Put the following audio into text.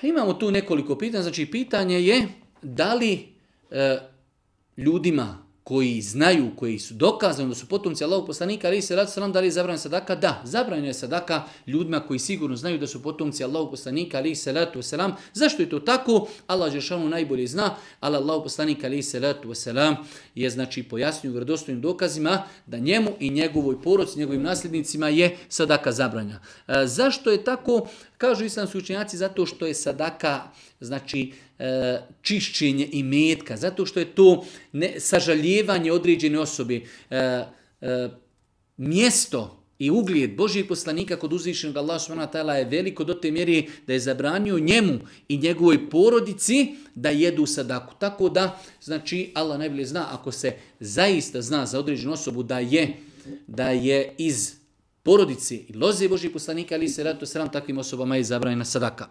Imamo tu nekoliko pitanja. Znači, pitanje je da li ljudima koji znaju, koji su dokazani da su potomci Allahovog poslanika, alejhi selatu selam, da li je zabranjena sadaka? Da, zabranjena je sadaka ljudima koji sigurno znaju da su potomci Allahovog poslanika, alejhi selatu selam. Zašto je to tako? Allah dželle najbolje zna, ali Allahov poslanik, alejhi selatu selam, je znači pojasnio u vjerodostojnim dokazima da njemu i njegovoj porodici, njegovim nasljednicima je sadaka zabranjena. Zašto je tako? Kažu islamski učenjaci zato što je sadaka znači čišćenje imetka, zato što je to sažaljevanje određene osobe, mjesto i uglijed Božijeg poslanika kod uzvišenog Allaha subhanahu wa ta'ala je veliko do te mjere da je zabranio njemu i njegovoj porodici da jedu sadaku. Tako da, znači, Allah najbolje zna, ako se zaista zna za određenu osobu da je iz porodici i loze Božijeg poslanika, alejhi selatu selam, takvim osobama je zabranjena sadaka.